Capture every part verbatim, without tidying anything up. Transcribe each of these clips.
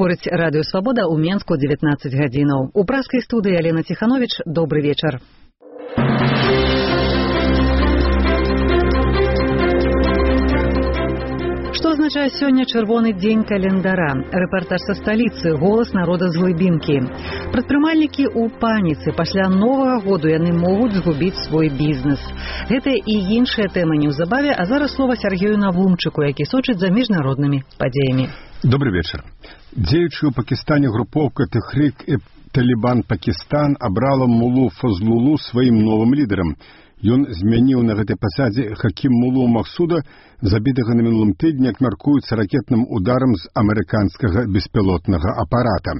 Гаворыць Радыё Свабода ў Менску дзевятнаццаць гадзінаў. У праскай студыі Алена Ціхановіч. Добры вечар. Што азначае сёння чырвоны дзень календара? Рэпартаж са сталіцы, голас народа з глыбінкі. Прадпрымальнікі ў паніцы. Пасля новага году яны могуць згубіць свой бізнес. Гэта і іншая тэма неўзабаве, а зараз слова Сергею Навумчыку, які сочыць за міжнароднымі падзеямі. Добрый вечер. Дзеючую ў Пакістане групоўка Тэхрік-і-Талібан Пакістан абрала Мулу Фазлулу сваім новым лідарам. Ён змяніў на гэтай пасадзе Хакім Мулу Махсуда, забітага на мінулым тыдні, як мяркуецца, ракетным ударам з амерыканскага беспілотнага апарата.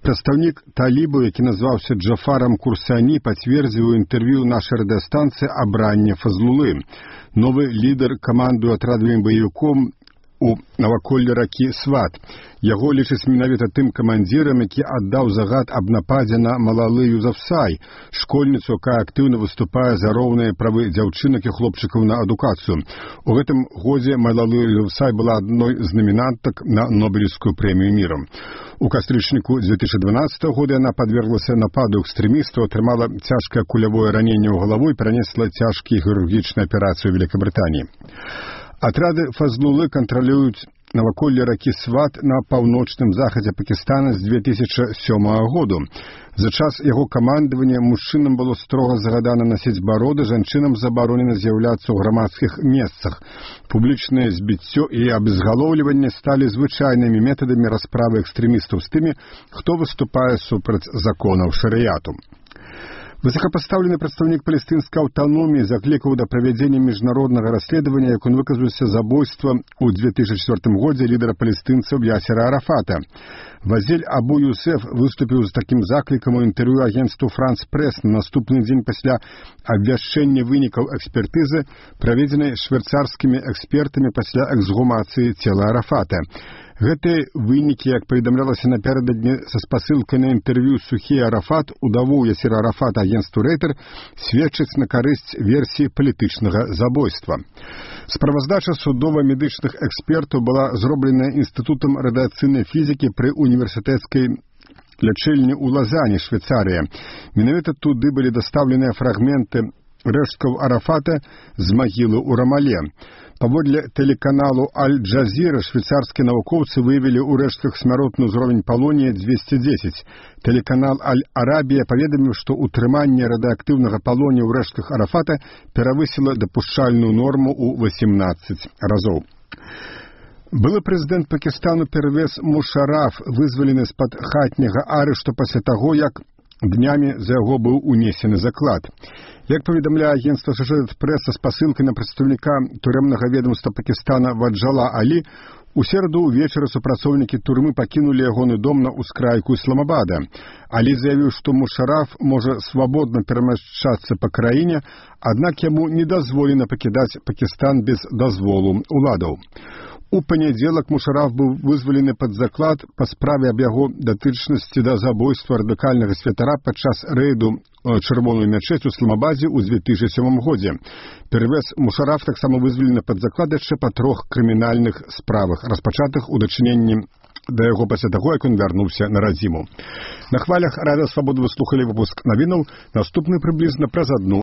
Прадстаўнік талібаў, які назваўся Джафарам Курсані, пацвердзіў у інтэрв'ю нашай радыёстанцыі абранне Фазлулы. Новы лідар камандуе атрадавым баевіком у наваколлі ракі Сват. Яго лічыць менавіта тым камандзірам, які аддаў загад аб нападзе на Малалы Юзафзай, школьніцу, якая актыўна выступае за роўныя правы дзяўчынак і хлопчыкаў на адукацыю. У гэтым годзе Малалы Юзафзай была адной з намінантак на Нобелевскую прэмію міру. У кастрычніку две тысячи дванадцатого года яна падверглася нападу экстрэмістаў, атрымала цяжкае кулявое раненне ў галаву і перанесла цяжкія хірургічныя аперацыі ў Великабрытаніі. Атрады Фазлулы кантралююць наваколле ракі Сват на паўночным захадзе Пакістана з две тысячи сёмага году. За час яго камандавання мужчынам было строга загадана насіць бароды, жанчынам забаронена з'яўляцца ў грамадскіх месцах. Публічнае збіццё і абезгалоўліванне сталі звычайнымі метадамі расправы экстрэмістаў з тымі, хто выступае супраць законаў шарыяту. Высокопоставленный представник палестинской автономии закликал до проведения международного расследования, как он выказывался, забойства у две тысячи четвёртым году лидера палестинцев Ясера Арафата. Вазель Абу Юсеф выступил с таким закликом у интервью агентству «Франс Пресс» на наступный день после обвяшчения выников экспертизы, проведенной швейцарскими экспертами после эксгумации тела Арафата. Гэтыя вынікі, як паведамлялася напярэдадні са спасылкай на інтэрв'ю Сухі Арафат, удаву Ясера Арафата агентству Рейтер, сведчыць на карысць версіі палітычнага забойства. Справаздача судова-медычных экспертаў была зроблена Інстытутам радыацыйнай фізікі пры універсітэцкай лячэльні ў Лазані, Швейцарія. Менавіта туды былі дастаўленыя фрагменты рэшткаў Арафата з магілы ў Рамале. Паводле тэлеканалу Аль-Джазіра швейцарскія навукоўцы выявілі ў рэштках смяротны ўзровень палонія двести десять. Тэлеканал Аль-Арабія паведаміў, што ўтрыманне радыеактыўнага палонія ў рэштках Арафата перавысіла дапушчальную норму ў восемнадцаць разоў. Былы прэзідэнт Пакістану Первез Мушараф вызвалены з-пад хатняга арышту пасля таго, як днямі за яго быў унесены заклад. Як паведамляе агентства Associated Press са спасылкай на прадстаўніка турэмнага ведомства Пакістана Ваджала Алі, у сераду ўвечары супрацоўнікі турмы пакінулі ягоны дом на ўскрайку Ісламабада. Алі заявіў, што Мушараф можа свабодна перамяшчацца па краіне, аднак яму не дазволена пакідаць Пакістан без дазволу ўладаў. У панядзелак Мушараф быў вызвалены пад заклад па справе аб яго датычнасці да забойства радыкальнага святара падчас рэйду чырвоную мячэць у Ісламабадзе ў две тысячи сёмым годзе. Первез Мушараф таксама вызвалены пад заклад яшчэ па трох крымінальных справах, распачатых у дачыненні да яго пасля таго, як ён вярнуўся на радзіму. На хвалях Радыё Свабода вы слухалі выпуск навінаў, наступны прыблізна праз адну